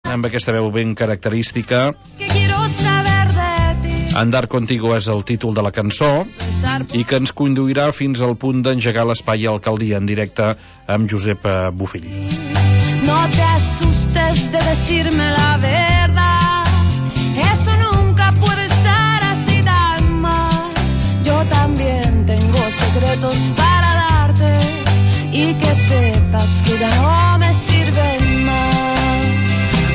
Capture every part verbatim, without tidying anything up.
amb aquesta veu ben característica. Andar contigo és el títol de la cançó i que ens conduirà fins al punt d'engegar l'espai Alcaldia en directe amb Josep Bofill. No te asustes de decirme la verdad, eso nunca puede estar así tan mal. Yo también tengo secretos para darte y que sepas que ya no me sirven más.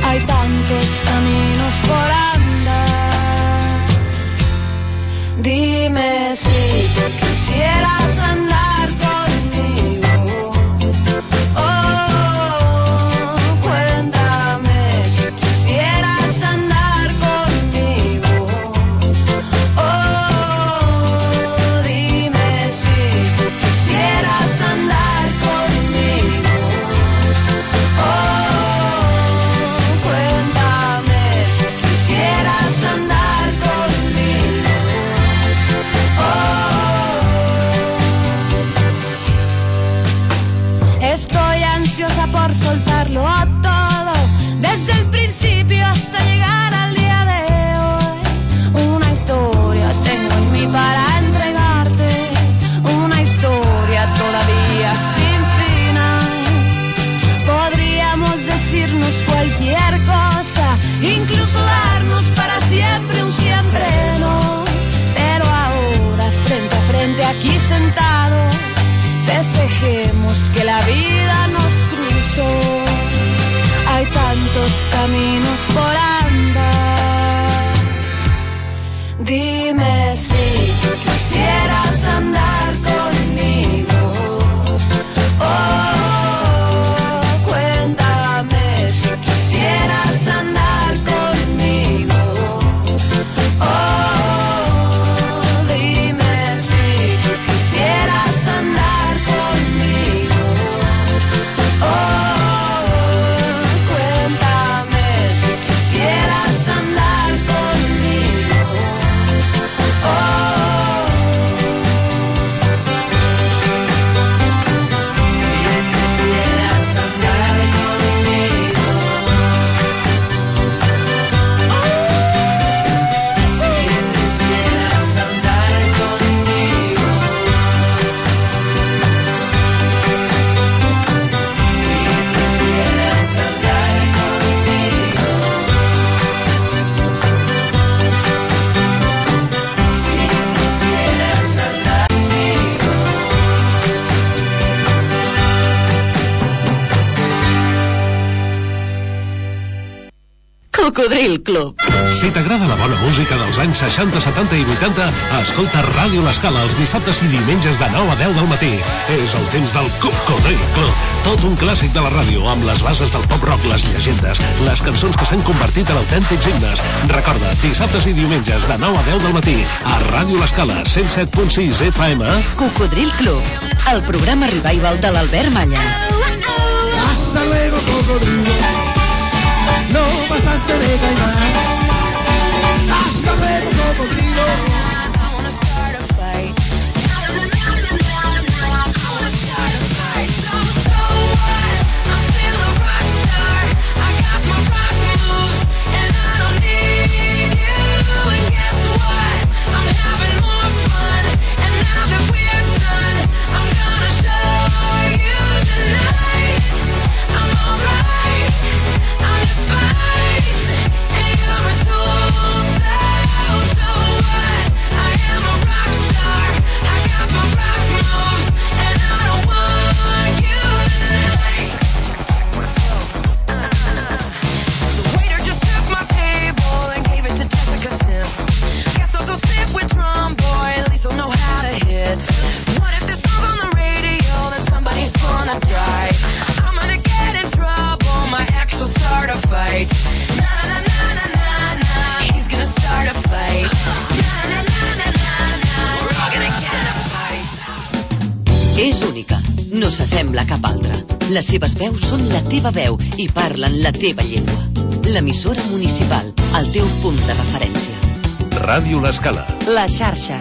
Hay tantos caminos por andar. Dime si tú quisieras andar conmigo. Oh, cuéntame si quisieras andar conmigo. Oh, dime si tú quisieras andar conmigo. Oh, cuéntame si quisieras andar conmigo. Estoy ansiosa por soltarlo todo, desde el principio hasta llegar al día de hoy. Una historia tengo en mí para entregarte, una historia todavía sin final. Podríamos decirnos cualquier cosa, incluso darnos para siempre un siempre no. Pero ahora frente a frente aquí sentados, festejemos que la vida nos cruzó. Hay tantos caminos por andar. Dime si tú quisieras andar conmigo. Oh, cuéntame si quisieras andar conmigo. Oh, dime si tú quisieras andar conmigo. Oh, cuéntame si quisieras andar conmigo. Oh, si quisieras andar conmigo. Si quisieras andar conmigo. Si quisieras andar conmigo. Si quisieras andar conmigo. Cocodril Club. Si t'agrada la bona música dels anys seixanta, setanta i vuitanta, escolta Ràdio L'Escala els dissabtes i diumenges de nou a deu del matí. És el temps del Cocodril Club. Tot un clàssic de la ràdio, amb les bases del pop-rock, les llegendes, les cançons que s'han convertit en autèntics himnes. Recorda, dissabtes i diumenges de nou a deu del matí, a Ràdio L'Escala, cent set punt sis F M. Cocodril Club, el programa revival de l'Albert Malla. Hasta luego, cocodrilo. No pasaste de caimán. Hasta luego, cocodrilo. És única, no s'assembla a cap altra. Les seves veus són la teva veu i parlen la teva llengua. L'emissora municipal, el teu punt de referència. Ràdio L'Escala. La xarxa.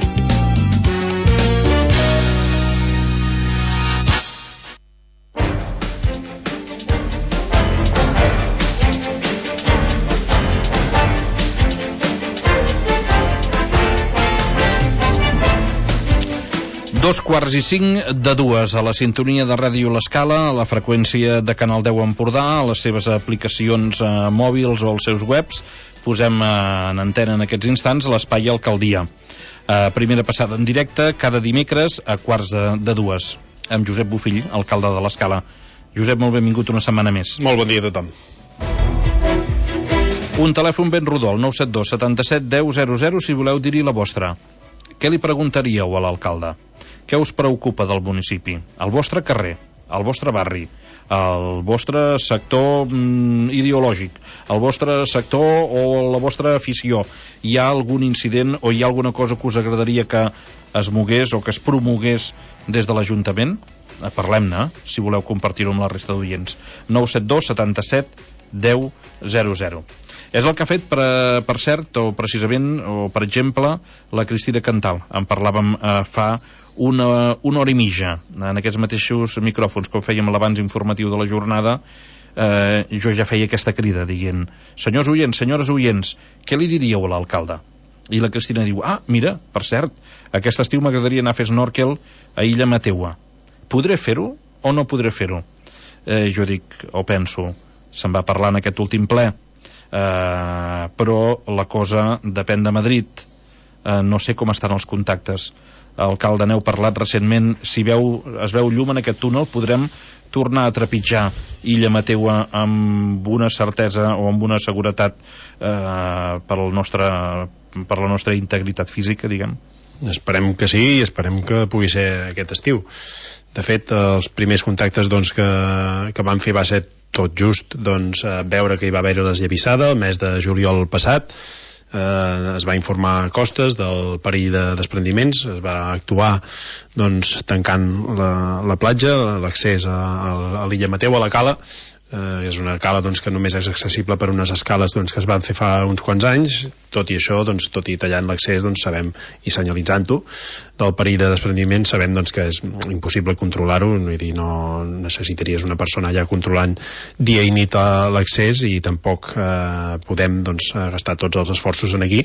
Dos quarts i cinc de dues a la sintonia de Ràdio L'Escala, a la freqüència de Canal deu Empordà, a les seves aplicacions eh, mòbils o als seus webs. Posem eh, en antena en aquests instants l'Espai Alcaldia. Eh, primera passada en directe cada dimecres a quarts de, de dues, amb Josep Bofill, alcalde de l'Escala. Josep, molt benvingut una setmana més. Molt bon dia a tothom. Un telèfon ben rodó, el nou set dos setanta-set deu zero zero, si voleu dir-hi la vostra. Què li preguntaríeu a l'alcalde? Què us preocupa del municipi? El vostre carrer, el vostre barri, el vostre sector mm, ideològic, el vostre sector o la vostra afició. Hi ha algun incident o hi ha alguna cosa que us agradaria que es mogués o que es promogués des de l'Ajuntament? Parlem-ne, si voleu compartir-ho amb la resta d'oients. nou set dos setanta-set deu zero zero. És el que ha fet, per, per cert, o precisament, o per exemple, la Cristina Cantal. En parlàvem eh, fa una, una hora i mitja, en aquests mateixos micròfons, com fèiem l'abans informatiu de la jornada. Eh, jo ja feia aquesta crida, dient: senyors oients, senyores oients, què li diríeu a l'alcalde? I la Cristina diu: ah, mira, per cert, aquest estiu m'agradaria anar a fer snorkel a Illa Mateua. Podré fer-ho o no podré fer-ho? Eh, jo dic, o penso, se'n va parlar en aquest últim ple, Uh, però la cosa depèn de Madrid. uh, no sé com estan els contactes. Alcalde, n'heu parlat recentment. Si veu, es veu llum en aquest túnel, podrem tornar a trepitjar Illa Mateua amb una certesa o amb una seguretat uh, per, el nostre, per la nostra integritat física, diguem? Esperem que sí, i esperem que pugui ser aquest estiu. De fet, els primers contactes doncs, que, que van fer va ser tot just doncs, veure que hi va haver desllavissada el mes de juliol passat. Eh, es va informar Costes del perill de desprendiments, es va actuar doncs, tancant la, la platja, l'accés a, a l'Illa Mateu, a la cala. Eh, és una cala doncs, que només és accessible per unes escales doncs, que es van fer fa uns quants anys. Tot i això, doncs, tot i tallant l'accés, doncs, sabem, i senyalitzant-ho del perill de desprendiment, sabem doncs, que és impossible controlar-ho. Vull dir, no necessitaries una persona allà controlant dia i nit l'accés, i tampoc eh, podem doncs, gastar tots els esforços en aquí.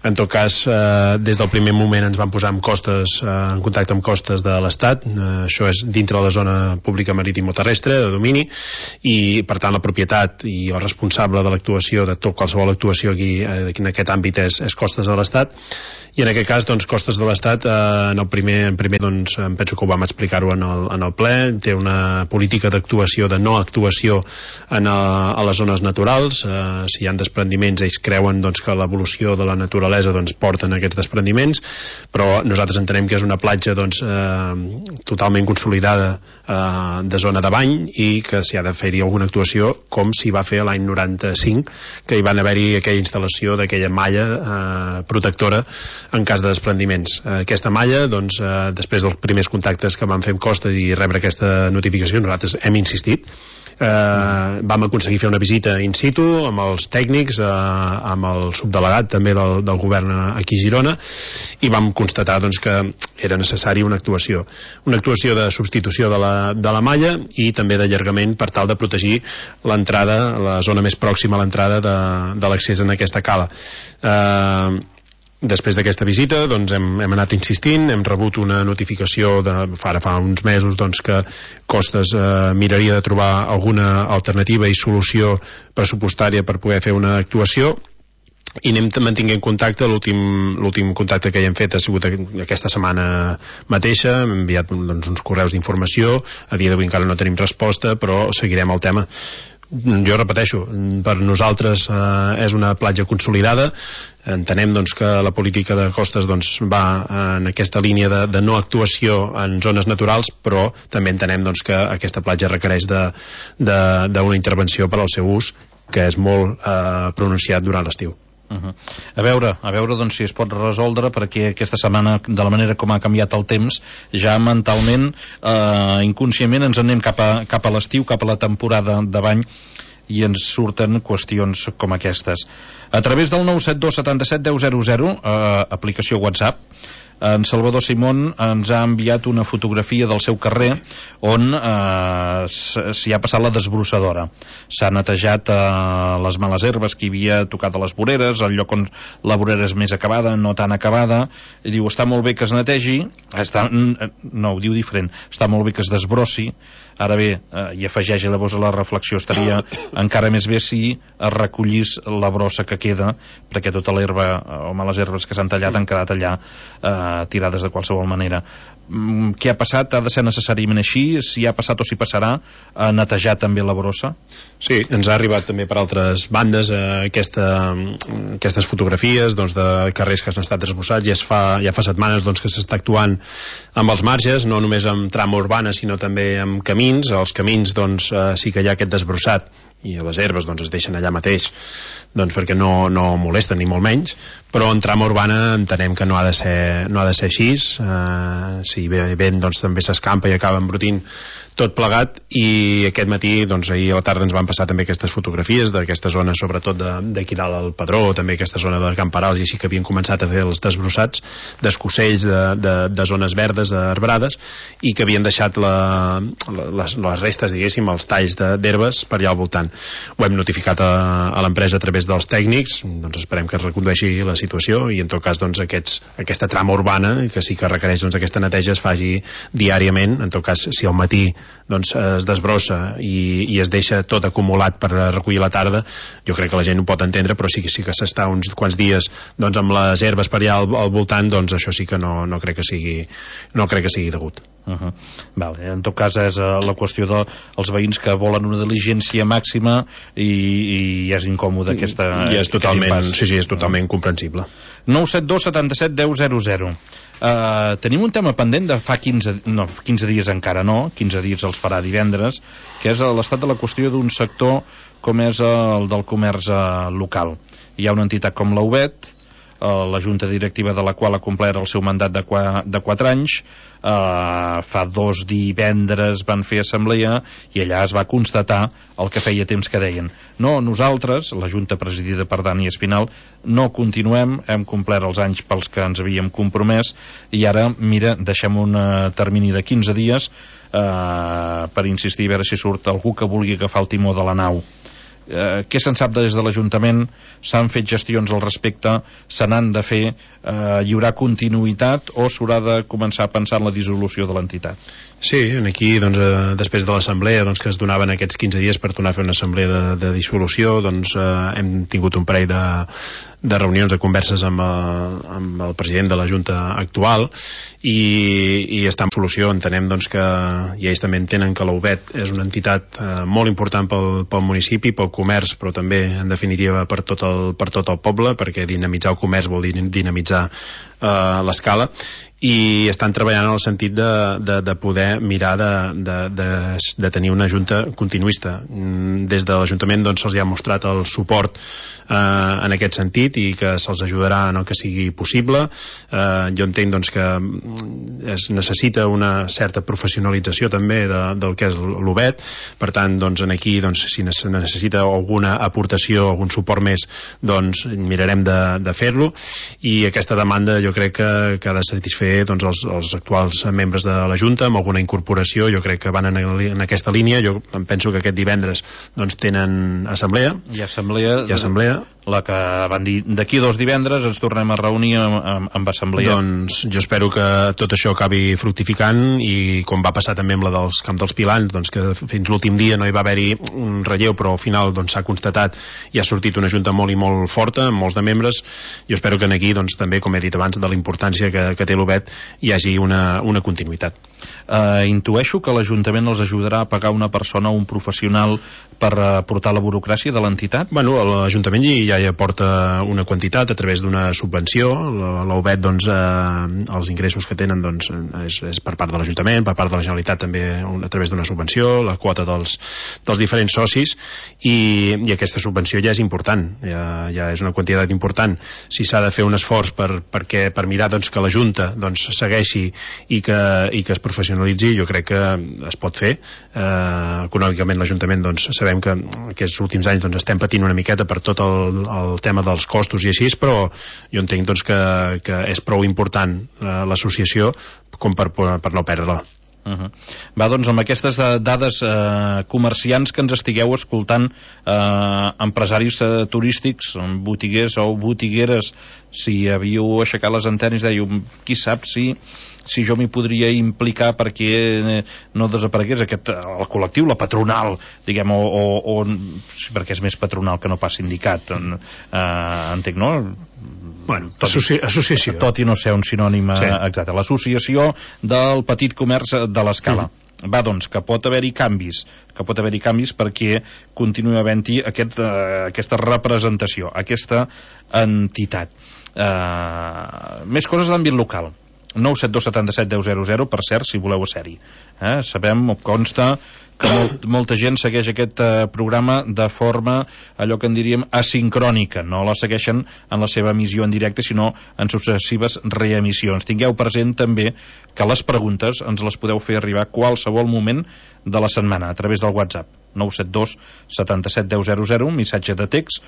En tot cas, eh, des del primer moment ens van posar amb Costes, eh, en contacte amb Costes de l'Estat. Eh, això és dintre de la zona pública marítim-terrestre de domini, i i per tant la propietat i el responsable de l'actuació, de tot qualsevol actuació aquí, eh, en aquest àmbit és, és Costes de l'Estat, i en aquest cas doncs, Costes de l'Estat eh, en el primer, en primer doncs, em penso que ho vam explicar-ho en, el, en el ple, té una política d'actuació, de no actuació en a, a les zones naturals. Eh, si hi ha desprendiments, ells creuen doncs, que l'evolució de la naturalesa doncs, porten aquests desprendiments, però nosaltres entenem que és una platja doncs, eh, totalment consolidada eh, de zona de bany, i que s'hi ha de fer-hi alguna actuació, com s'hi va fer l'any noranta-cinc, que hi van haver-hi aquella instal·lació d'aquella malla eh, protectora en cas de desprendiments. Eh, aquesta malla, doncs, eh, després dels primers contactes que vam fer amb Costes i rebre aquesta notificació, nosaltres hem insistit. Eh, vam aconseguir fer una visita in situ amb els tècnics, eh, amb el subdelegat també del, del govern aquí a Girona, i vam constatar doncs, que era necessari una actuació una actuació de substitució de la, de la malla, i també d'allargament per tal de protegir l'entrada, la zona més pròxima a l'entrada de, de l'accés en aquesta cala. Eh, Després d'aquesta visita doncs, hem, hem anat insistint, hem rebut una notificació de, fa, fa uns mesos doncs, que Costes eh, miraria de trobar alguna alternativa i solució pressupostària per poder fer una actuació, i anem mantinguent contacte. L'últim contacte que hi hem fet ha sigut aquesta setmana mateixa, hem enviat doncs, uns correus d'informació. A dia d'avui encara no tenim resposta, però seguirem el tema. Jo repeteixo, per nosaltres eh, és una platja consolidada. Entenem doncs, que la política de Costes doncs, va en aquesta línia de, de no actuació en zones naturals, però també entenem doncs, que aquesta platja requereix d'una intervenció per al seu ús, que és molt eh, pronunciat durant l'estiu. Uh -huh. A veure, a veure doncs, si es pot resoldre, perquè aquesta setmana, de la manera com ha canviat el temps, ja mentalment, eh, inconscientment ens anem cap a, cap a l'estiu, cap a la temporada de bany, i ens surten qüestions com aquestes. A través del nou set dos setanta-set deu zero zero, eh, aplicació WhatsApp, En Salvador Simón ens ha enviat una fotografia del seu carrer on eh, s'hi ha passat la desbrossadora. S'ha netejat eh, les males herbes que hi havia tocat a les voreres, el lloc on la vorera és més acabada, no tan acabada, i diu, està molt bé que es netegi, està, no, ho diu diferent, està molt bé que es desbrossi. Ara bé, eh, i afegeix llavors a la reflexió, estaria encara més bé si es recollís la brossa que queda, perquè tota l'herba o males herbes que s'han tallat han quedat allà eh, tirades de qualsevol manera. Mm, què ha passat? Ha de ser necessàriament així? Si ha passat o si passarà, a netejar també la brossa? Sí, ens ha arribat també per altres bandes eh, aquesta, aquestes fotografies doncs, de carrers que han estat desbrossats. Ja, es fa, ja fa setmanes doncs, que s'està actuant amb els marges, no només amb trama urbana sinó també amb camins. Els camins doncs, eh, sí que hi ha aquest desbrossat i les herbes doncs, es deixen allà mateix doncs, perquè no, no molesten ni molt menys, però en trama urbana entenem que no ha de ser, no ha de ser així. Eh, si ve vent doncs, també s'escampa i acaba embrutint tot plegat, i aquest matí doncs, ahir a la tarda ens van passar també aquestes fotografies d'aquesta zona, sobretot d'aquí dalt al Pedró, també aquesta zona de Camperals, i així que havien començat a fer els desbrossats d'escossells, de, de, de zones verdes, arbrades, i que havien deixat la, la, les, les restes, diguéssim, els talls d'herbes per allà al voltant. Ho hem notificat a, a l'empresa a través dels tècnics, doncs esperem que es recondueixi la situació, i en tot cas doncs, aquests, aquesta trama urbana, que sí que requereix doncs, aquesta neteja, es faci diàriament. En tot cas, si al matí doncs, es desbrossa i, i es deixa tot acumulat per recollir la tarda, jo crec que la gent ho pot entendre, però sí, sí que s'està uns quants dies doncs, amb les herbes per allà al, al voltant, doncs això sí que no, no crec que sigui no crec que sigui degut. Uh -huh. Vale. En tot cas és uh, la qüestió dels de, veïns que volen una diligència màxima i, i és incòmode aquesta, I és totalment, sí, sí, és totalment comprensible. nou set dos setanta-set deu zero zero. Uh, tenim un tema pendent de fa quinze, no, quinze dies encara no, quinze dies els farà divendres, que és l'estat de la qüestió d'un sector com és el del comerç uh, local. Hi ha una entitat com la U B E T, uh, la junta directiva de la qual ha complert el seu mandat de, qua, de quatre anys. Uh, fa dos divendres van fer assemblea i allà es va constatar el que feia temps que deien: no, nosaltres, la junta presidida per Dani Espinal, no continuem, hem complert els anys pels que ens havíem compromès, i ara, mira, deixem un uh, termini de quinze dies uh, per insistir a veure si surt algú que vulgui agafar el timó de la nau. Eh, què se'n sap des de l'Ajuntament? S'han fet gestions al respecte? Se n'han de fer? Eh, hi haurà continuïtat o s'haurà de començar a pensar en la dissolució de l'entitat? Sí, aquí doncs, eh, després de l'assemblea doncs, que es donaven aquests quinze dies per tornar a fer una assemblea de, de dissolució, doncs eh, hem tingut un parell de, de reunions, de converses amb el, amb el president de la Junta actual, i, i està en solució. Entenem doncs, que i ells també entenen que l'U B E T és una entitat eh, molt important pel, pel municipi, pel comerç, però també en definitiva per tot el, per tot el poble, perquè dinamitzar el comerç vol dir dinamitzar eh, l'escala, i estan treballant en el sentit de, de, de poder mirar de, de, de, de tenir una junta continuista. Des de l'Ajuntament doncs, se'ls ha mostrat el suport eh, en aquest sentit, i que se'ls ajudarà en el que sigui possible. Eh, jo entenc doncs, que es necessita una certa professionalització també de, del que és l'U B E T, per tant doncs, aquí doncs, si necessita alguna aportació, algun suport més, doncs mirarem de, de fer-lo, i aquesta demanda jo crec que, que ha de satisfer doncs, els, els actuals membres de la Junta amb alguna incorporació. Jo crec que van en, en aquesta línia. Jo em penso que aquest divendres doncs, tenen assemblea. Hi ha assemblea, Hi ha assemblea. La que van dir d'aquí dos divendres ens tornem a reunir amb, amb, amb assemblea. Doncs jo espero que tot això acabi fructificant, i com va passar també amb la dels Camp dels Pilans, doncs que fins l'últim dia no hi va haver-hi un relleu, però al final doncs, s'ha constatat i ha sortit una junta molt i molt forta, amb molts de membres. Jo espero que aquí doncs, també, com he dit abans, de la importància que, que té l'U B E T, hi hagi una, una continuïtat. Uh, intueixo que l'Ajuntament els ajudarà a pagar una persona o un professional per aportar la burocràcia de l'entitat? Bueno, l'Ajuntament ja hi aporta una quantitat a través d'una subvenció. L'U B E T, doncs, eh, els ingressos que tenen doncs, és, és per part de l'Ajuntament, per part de la Generalitat també a través d'una subvenció, la quota dels, dels diferents socis, i, i aquesta subvenció ja és important, ja, ja és una quantitat important. Si s'ha de fer un esforç per, perquè, per mirar doncs, que la Junta doncs, segueixi i que, i que es professionalitzi, jo crec que es pot fer. Eh, econòmicament l'Ajuntament, doncs, sabem que aquests últims anys doncs, estem patint una miqueta per tot el, el tema dels costos i així, però jo entenc doncs, que, que és prou important eh, l'associació com per, per no perdre-la. Uh -huh. Va, doncs amb aquestes dades, eh, comerciants que ens estigueu escoltant, eh, empresaris eh, turístics, botiguers o botigueres, si havíeu aixecat les antenes, dèieu, qui sap si si jo m'hi podria implicar perquè no desaparegués aquest, el col·lectiu, la patronal, diguem, o, o, o sí, perquè és més patronal que no pas sindicat, eh, entenc, no? Bueno, associ associació. Tot i no ser un sinònim sí. exacte. L'associació del petit comerç de l'Escala. Mm. Va, doncs, que pot haver-hi canvis, que pot haver-hi canvis perquè continuï havent-hi aquest, uh, aquesta representació, aquesta entitat. Uh, més coses d'àmbit local. nou set dos setanta set deu zero zero, per cert, si voleu ser-hi. Eh? Sabem, o consta, que molt, molta gent segueix aquest eh, programa de forma, allò que en diríem, asincrònica. No la segueixen en la seva emissió en directe, sinó en successives reemissions. Tingueu present també que les preguntes ens les podeu fer arribar a qualsevol moment de la setmana, a través del WhatsApp. nou set dos setanta set deu zero zero, missatge de text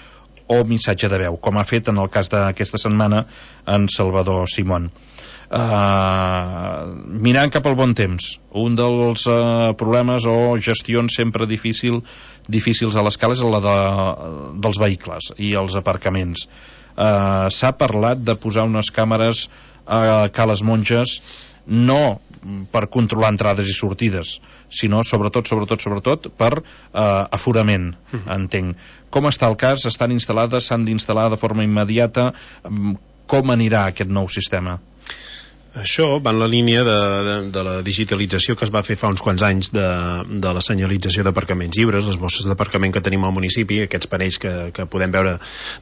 o missatge de veu, com ha fet en el cas d'aquesta setmana en Salvador Simón. Uh, mirant cap al bon temps, un dels uh, problemes o gestions sempre difícil, difícils a l'Escala és la de, dels vehicles i els aparcaments. Uh, s'ha parlat de posar unes càmeres a Cales Monges, no per controlar entrades i sortides, sinó sobretot, sobretot, sobretot per uh, aforament, entenc. Com està el cas? Estan instal·lades, s'han d'instal·lar de forma immediata? Com anirà aquest nou sistema? Això va en la línia de, de, de la digitalització que es va fer fa uns quants anys de, de la senyalització d'aparcaments lliures, les bosses d'aparcament que tenim al municipi, aquests panells que, que podem veure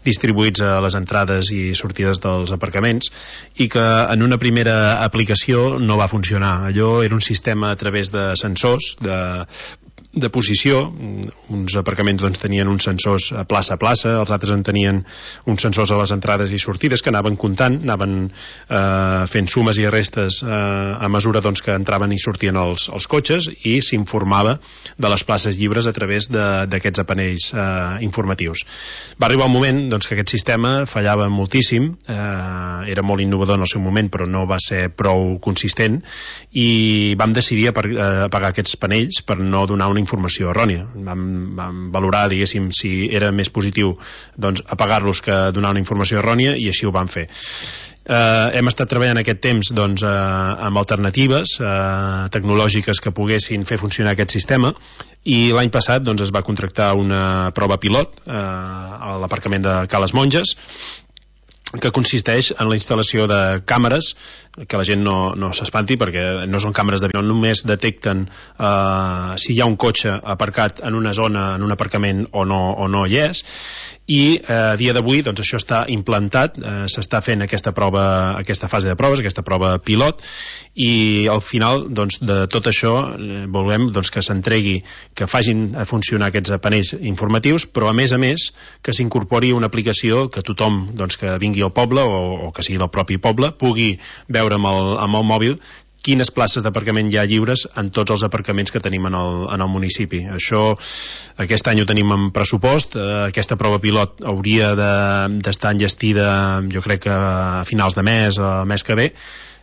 distribuïts a les entrades i sortides dels aparcaments, i que en una primera aplicació no va funcionar. Allò era un sistema a través de sensors, de de posició. Uns aparcaments doncs, tenien uns sensors a plaça a plaça, els altres en tenien uns sensors a les entrades i sortides que anaven comptant, anaven eh, fent sumes i restes eh, a mesura doncs, que entraven i sortien els, els cotxes, i s'informava de les places lliures a través d'aquests aparells eh, informatius. Va arribar un moment doncs, que aquest sistema fallava moltíssim, eh, era molt innovador en el seu moment, però no va ser prou consistent, i vam decidir apagar aquests panells per no donar una informació errònia. Vam, vam valorar, diguéssim, si era més positiu doncs, apagar-los que donar una informació errònia, i així ho vam fer. Eh, hem estat treballant aquest temps doncs, eh, amb alternatives eh, tecnològiques que poguessin fer funcionar aquest sistema, i l'any passat doncs, es va contractar una prova pilot eh, a l'aparcament de Cales Monges, que consisteix en la instal·lació de càmeres, que la gent no, no s'espanti perquè no són càmeres d'avió, només detecten eh, si hi ha un cotxe aparcat en una zona, en un aparcament o no, o no hi és, i eh, a dia d'avui doncs, això està implantat, eh, s'està fent aquesta prova, aquesta fase de proves, aquesta prova pilot, i al final doncs, de tot això eh, volem doncs, que s'entregui, que facin a funcionar aquests panells informatius, però a més a més que s'incorpori una aplicació que tothom doncs, que vingui al poble o, o que sigui del propi poble pugui veure amb el, amb el mòbil quines places d'aparcament hi ha lliures en tots els aparcaments que tenim en el, en el municipi. Això aquest any ho tenim en pressupost, eh, aquesta prova pilot hauria d'estar de, enllestida jo crec que a finals de mes, el mes que ve,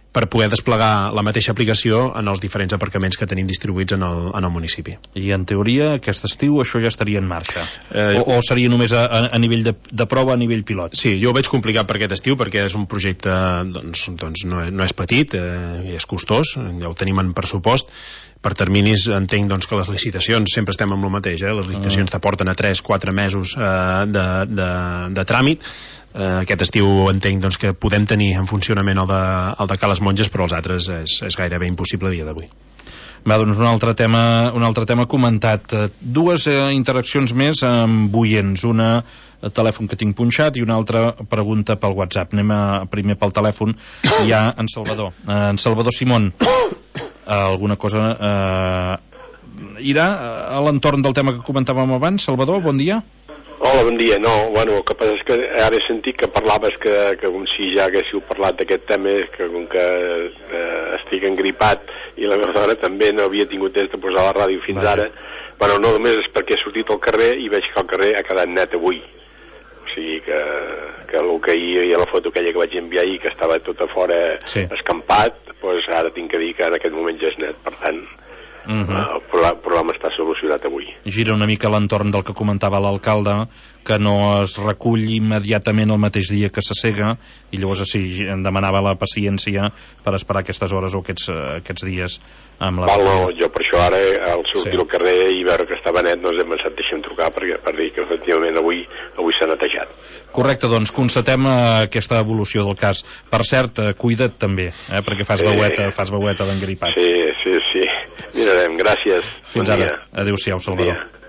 per poder desplegar la mateixa aplicació en els diferents aparcaments que tenim distribuïts en el, en el municipi. I en teoria aquest estiu això ja estaria en marxa? Eh, o, o seria només a, a nivell de, de prova, a nivell pilot? Sí, jo ho veig complicat per aquest estiu perquè és un projecte doncs, doncs no, no és petit, eh, és costós, ja ho tenim en pressupost. Per terminis entenc doncs, que les licitacions sempre estem amb el mateix, eh? Les licitacions t'aporten a tres quatre mesos eh, de, de, de tràmit. Uh, aquest estiu entenc doncs, que podem tenir en funcionament el de, el de Cales Monges, però els altres és, és gairebé impossible a dia d'avui. Va, doncs un altre tema, un altre tema comentat. Dues eh, interaccions més amb oients, una el telèfon que tinc punxat i una altra pregunta pel WhatsApp. Anem a, primer pel telèfon. Hi ha en Salvador, eh, en Salvador Simón. Eh, alguna cosa eh, irà a l'entorn del tema que comentàvem abans. Salvador, bon dia. Hola, bon dia. No, bueno, el que passa és que ara he sentit que parlaves que, que com si ja haguéssiu parlat d'aquest tema, que com que eh, estic engripat i la meva dona també no havia tingut temps de posar la ràdio fins Vaja. ara, bueno, no només és perquè he sortit al carrer i veig que el carrer ha quedat net avui. O sigui que, que el que hi havia la foto aquella que vaig enviar ahir, que estava tot a fora sí. escampat, doncs ara tinc que dir que en aquest moment ja és net, per tant... Uh -huh. el problema està solucionat avui. Gira una mica l'entorn del que comentava l'alcalde, que no es recull immediatament el mateix dia que s'assega, i llavors sí, em demanava la paciència per esperar aquestes hores o aquests, aquests dies amb la... Val, no, jo per això ara al sortir sí. al carrer i veure que estava net no ens hem pensat deixem trucar perquè, per dir que efectivament avui avui s'ha netejat. Correcte, doncs constatem uh, aquesta evolució del cas. Per cert, uh, cuida't també, eh, perquè fas veueta, eh, fas veueta d'engripat. Sí, sí, sí. Mirarem, gràcies. Fins bon ara. Dia. Adéu-siau, Salvador. Dia.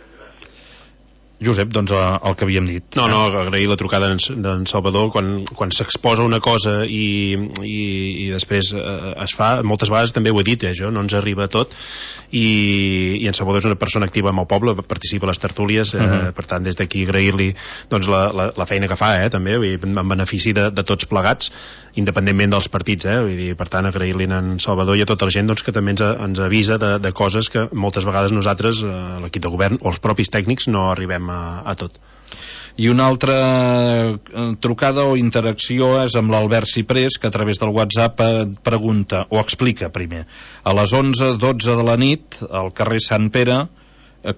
Josep, doncs el que havíem dit. No, no, agrair la trucada d'en Salvador quan, quan s'exposa una cosa i, i, i després eh, es fa, moltes vegades també ho he dit, eh, això, no ens arriba tot i, i en Salvador és una persona activa amb el poble, participa a les tertúlies, eh, uh -huh. per tant des d'aquí agrair-li doncs, la, la, la feina que fa, eh, també, en benefici de, de tots plegats, independentment dels partits, eh, vull dir, per tant agrair-li a en Salvador i a tota la gent doncs, que també ens, ens avisa de, de coses que moltes vegades nosaltres, eh, l'equip de govern o els propis tècnics no arribem A, a tot. I una altra trucada o interacció és amb l'Albert Ciprés, que a través del WhatsApp pregunta, o explica primer, a les onze dotze de la nit al carrer Sant Pere,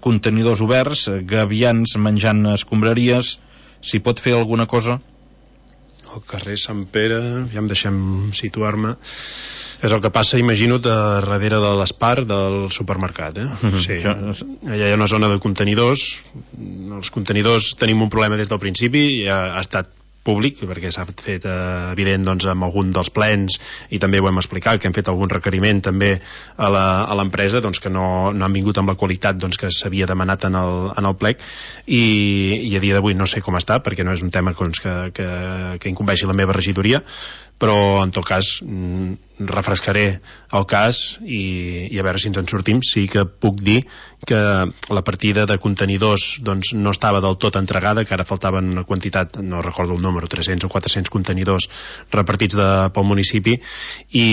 contenidors oberts, gavians menjant escombraries, s'hi pot fer alguna cosa? Al carrer Sant Pere, ja em deixem situar-me, és el que passa, imagino, darrere de l'Espar del supermercat, eh? Uh-huh. Sí, allà hi ha una zona de contenidors. Els contenidors tenim un problema des del principi, ja ha estat públic, perquè s'ha fet eh, evident doncs, amb algun dels plens, i també ho hem explicat, que hem fet algun requeriment també a l'empresa, doncs, que no, no han vingut amb la qualitat doncs, que s'havia demanat en el, en el plec, i, i a dia d'avui no sé com està, perquè no és un tema doncs, que, que, que incumbeixi la meva regidoria, però en tot cas mm, refrescaré el cas i, i a veure si ens en sortim. Sí que puc dir que la partida de contenidors doncs, no estava del tot entregada, que ara faltaven una quantitat, no recordo el número, tres-cents o quatre-cents contenidors repartits de, pel municipi, i,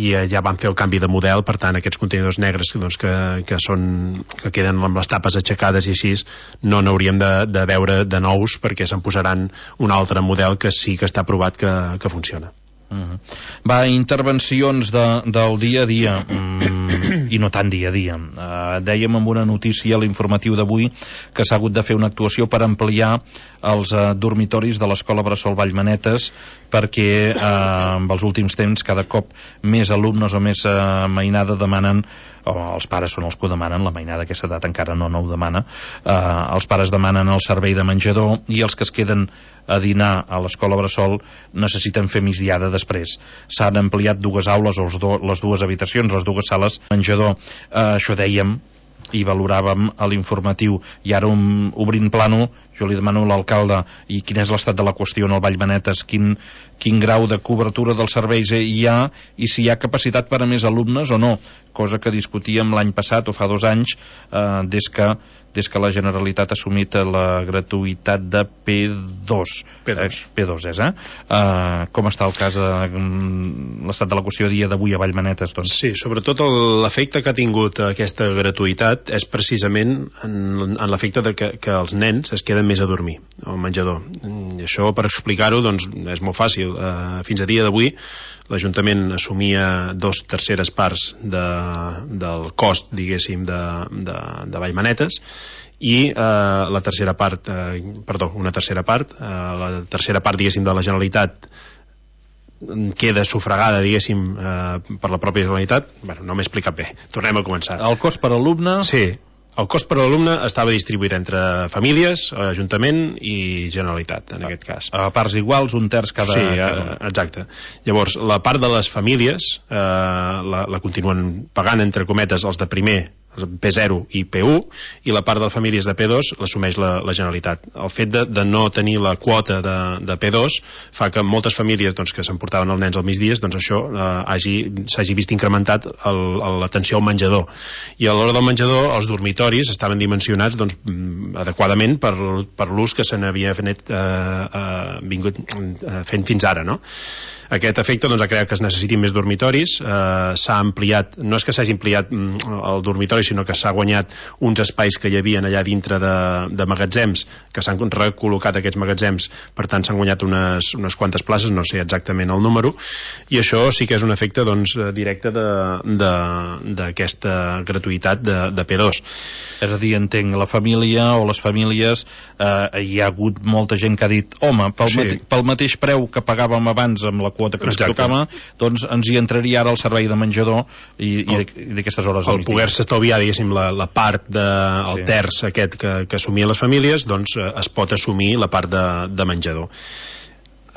i ja van fer el canvi de model. Per tant, aquests contenidors negres doncs, que, que, són, que queden amb les tapes aixecades i així, no n'hauríem de, de veure de nous, perquè se'n posaran un altre model que sí que està provat que, que funciona. Uh-huh. Va, intervencions de, del dia a dia, mm, i no tan dia a dia. Uh, dèiem amb una notícia a l'informatiu d'avui que s'ha hagut de fer una actuació per ampliar els uh, dormitoris de l'Escola Bressol Vallmanetes, perquè uh, en els últims temps cada cop més alumnes o més uh, mainada demanen, o els pares són els que ho demanen, la mainada d'aquesta edat encara no, no ho demana, uh, els pares demanen el servei de menjador, i els que es queden a dinar a l'Escola Bressol necessiten fer migdiada després. S'han ampliat dues aules, o do, les dues habitacions, les dues sales menjador. Uh, això dèiem i valoràvem a l'informatiu, i ara um, obrint plano, jo li demano a l'alcalde i quin és l'estat de la qüestió en el Vallmanetes, quin, quin grau de cobertura dels serveis hi ha, i si hi ha capacitat per a més alumnes o no, cosa que discutíem l'any passat o fa dos anys, eh, des que des que la Generalitat ha assumit la gratuïtat de P dos. P dos. Eh, P dos és, eh? Uh, com està el cas, uh, l'estat de la qüestió a dia d'avui a Vallmanetes, doncs? Sí, sobretot l'efecte que ha tingut aquesta gratuïtat és precisament en, en l'efecte de que, que els nens es queden més a dormir al menjador. I això, per explicar-ho, doncs és molt fàcil. Uh, fins a dia d'avui l'Ajuntament assumia dos terceres parts de, del cost, diguéssim, de, de, de Vallmanetes, i eh, la tercera part, eh, perdó, una tercera part, eh, la tercera part, diguéssim, de la Generalitat queda sufragada, diguéssim, eh, per la pròpia Generalitat. Bueno, no m'he explicat bé, tornem a començar. El cost per alumne... Sí, el cost per alumne estava distribuït entre famílies, Ajuntament i Generalitat, en aquest cas. A parts iguals, un terç cada... Sí, cada... exacte. Llavors, la part de les famílies eh, la, la continuen pagant, entre cometes, els de primer, P zero i P u, i la part de les famílies de P dos l'assumeix la, la Generalitat. El fet de, de no tenir la quota de, de P dos fa que moltes famílies doncs, que s'emportaven els nens al migdia, doncs això eh, hagi, s'hagi vist incrementat el, el, l'atenció al menjador. I a l'hora del menjador els dormitoris estaven dimensionats doncs, adequadament per, per l'ús que se n'havia fet, eh, eh, vingut eh, fent fins ara, no? Aquest efecte doncs, ha creat que es necessitin més dormitoris, eh, s'ha ampliat, no és que s'hagi ampliat mm, el dormitori, sinó que s'ha guanyat uns espais que hi havia allà dintre de, de magatzems, que s'han recol·locat aquests magatzems, per tant s'han guanyat unes, unes quantes places, no sé exactament el número, i això sí que és un efecte doncs, directe d'aquesta gratuïtat de, de P dos. És a dir, entenc, la família o les famílies, eh, hi ha hagut molta gent que ha dit, home, pel, sí. mate, pel mateix preu que pagàvem abans amb la quota que ens Exacte. tocava, doncs ens hi entraria ara el servei de menjador i, i d'aquestes hores el poder-se estalviar, diguéssim, la, la part de, el sí. terç aquest que, que assumien les famílies, doncs es pot assumir la part de, de menjador.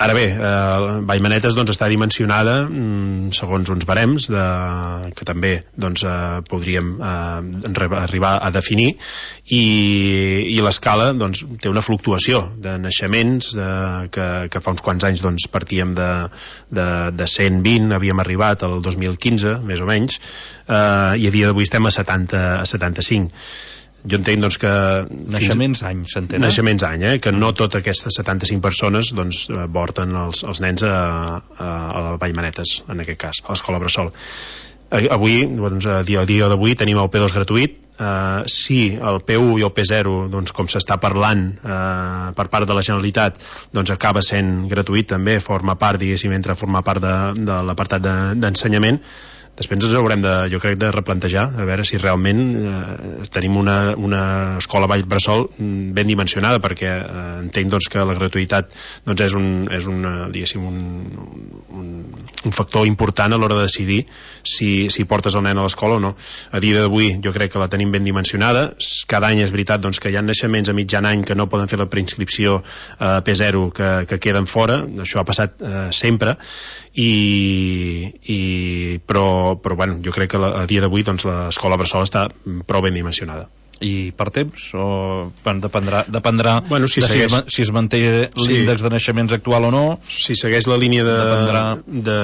Ara bé, eh, Vallmanetes doncs, està dimensionada mm, segons uns barems de, que també doncs, eh, podríem eh, arribar a definir, i, i l'escala doncs, té una fluctuació de naixements eh, que, que fa uns quants anys doncs, partíem de, de, de cent vint, havíem arribat al dos mil quinze més o menys, eh, i a dia d'avui estem a setanta, a setanta-cinc. Jo entenc doncs, que... Naixements any, s'entén? Naixements any, eh? Que no totes aquestes setanta-cinc persones doncs, porten els, els nens a, a, a Vallmanetes, en aquest cas, a l'escola Bressol. Avui, doncs, a dia, a dia d'avui, tenim el P dos gratuït. Uh, si el P u i el P zero, doncs, com s'està parlant uh, per part de la Generalitat, doncs acaba sent gratuït també, forma part, diguéssim, entre formar part de, de l'apartat de, d'ensenyament, després ens haurem de, jo crec, de replantejar a veure si realment eh, tenim una, una escola Vall Bressol ben dimensionada, perquè eh, entenc doncs, que la gratuïtat doncs, és, un, és un, diguéssim, un, un, un factor important a l'hora de decidir si, si portes el nen a l'escola o no. A dia d'avui jo crec que la tenim ben dimensionada. Cada any és veritat doncs, que hi ha naixements a mitjan any que no poden fer la preinscripció a eh, P zero, que, que queden fora. Això ha passat eh, sempre, i, i però però bueno, jo crec que la, a dia d'avui doncs, l'escola Bressol està prou ben dimensionada. I per temps? O dependrà, dependrà bueno, si, de segueix, si, es, si es manté l'índex sí. de naixements actual o no? Si segueix la línia de, de,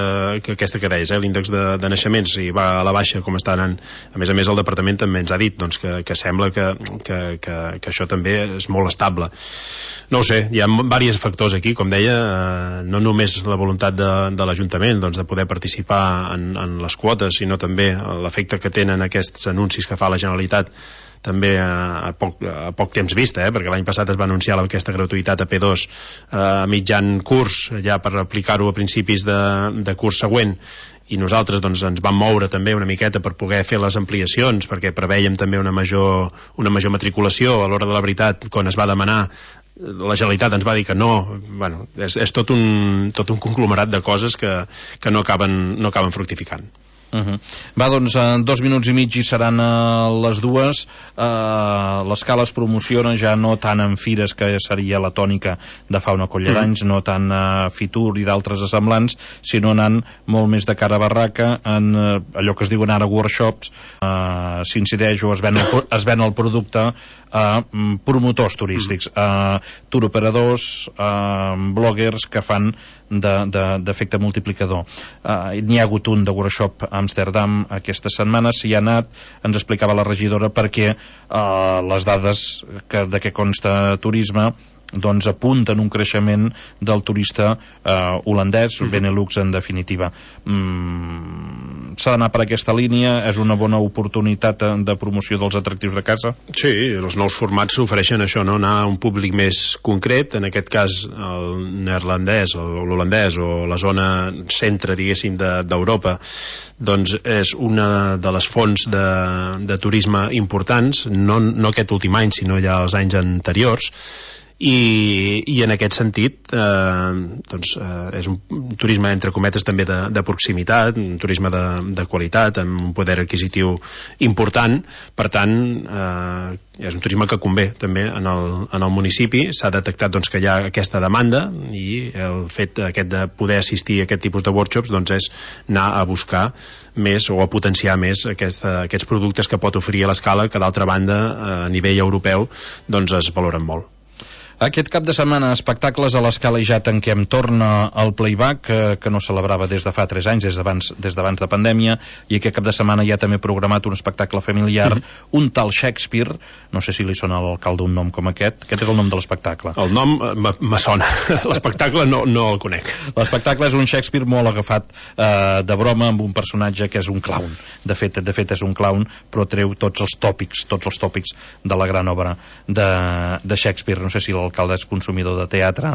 que aquesta que deies, eh, l'índex de, de naixements, i va a la baixa com està anant, a més a més el departament també ens ha dit doncs, que, que sembla que, que, que, que això també és molt estable. No ho sé, hi ha diversos factors aquí, com deia, eh, no només la voluntat de, de l'Ajuntament doncs, de poder participar en, en les quotes, sinó també l'efecte que tenen aquests anuncis que fa la Generalitat també a, a, poc, a poc temps vista, eh? Perquè l'any passat es va anunciar aquesta gratuïtat a P dos a mitjan curs, ja per aplicar-ho a principis de, de curs següent, i nosaltres doncs, ens vam moure també una miqueta per poder fer les ampliacions, perquè preveiem també una major, una major matriculació. A l'hora de la veritat, quan es va demanar, la Generalitat ens va dir que no. Bueno, és, és tot, un, tot un conglomerat de coses que, que no acaben, no acaben fructificant. Uh-huh. Va, doncs en dos minuts i mig i seran uh, les dues. uh, l'escala es promociona ja no tant en fires, que seria la tònica de fa una colla d'anys, uh-huh. no tant a uh, Fitur i d'altres assemblants, sinó anant molt més de cara a barraca, en uh, allò que es diuen ara workshops. uh, s'incideix o es ven el, es ven el producte a uh, promotors turístics, a uh, turoperadors, a uh, bloggers que fan d'efecte multiplicador. uh, n'hi ha hagut un de workshop a Amsterdam aquesta setmana, s'hi ha anat, ens explicava la regidora perquè uh, les dades que, de què consta turisme doncs apunten un creixement del turista eh, holandès, uh-huh. Benelux en definitiva. Mm, s'ha d'anar per aquesta línia, és una bona oportunitat de promoció dels atractius de casa? Sí, els nous formats s'ofereixen això, no? Anar a un públic més concret, en aquest cas el neerlandès o l'holandès o la zona centre, diguéssim, d'Europa, doncs és una de les fonts de, de turisme importants, no, no aquest últim any, sinó ja els anys anteriors, i, i en aquest sentit eh, doncs, eh, és un turisme entre cometes també de, de proximitat, un turisme de, de qualitat, amb un poder adquisitiu important, per tant eh, és un turisme que convé també en el, en el municipi. S'ha detectat doncs, que hi ha aquesta demanda, i el fet aquest de poder assistir a aquest tipus de workshops doncs, és anar a buscar més o a potenciar més aquesta, aquests productes que pot oferir a l'Escala, que d'altra banda a nivell europeu doncs, es valoren molt. Aquest cap de setmana, espectacles a l'Escala i ja tanquem. Torna el Playback, que, que no celebrava des de fa tres anys, des d'abans des d'abans de pandèmia, i aquest cap de setmana ja també programat un espectacle familiar, mm-hmm. un tal Shakespeare, no sé si li sona a l'alcalde un nom com aquest. Aquest és el nom de l'espectacle. El nom me sona, l'espectacle no, no el conec. L'espectacle és un Shakespeare molt agafat eh, de broma, amb un personatge que és un clown. De fet, de fet és un clown, però treu tots els tòpics, tots els tòpics de la gran obra de, de Shakespeare. No sé si l'alcalde és consumidor de teatre,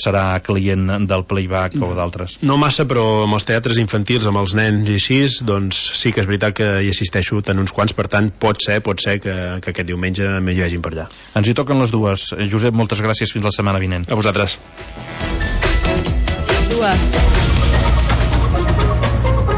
serà client del Playback o d'altres. No massa, però amb els teatres infantils, amb els nens i així, doncs sí que és veritat que hi assisteixo en uns quants, per tant pot ser, pot ser que, que aquest diumenge m'hi vegin per allà. Ens hi toquen les dues. Josep, moltes gràcies, fins la setmana vinent. A vosaltres. Dues.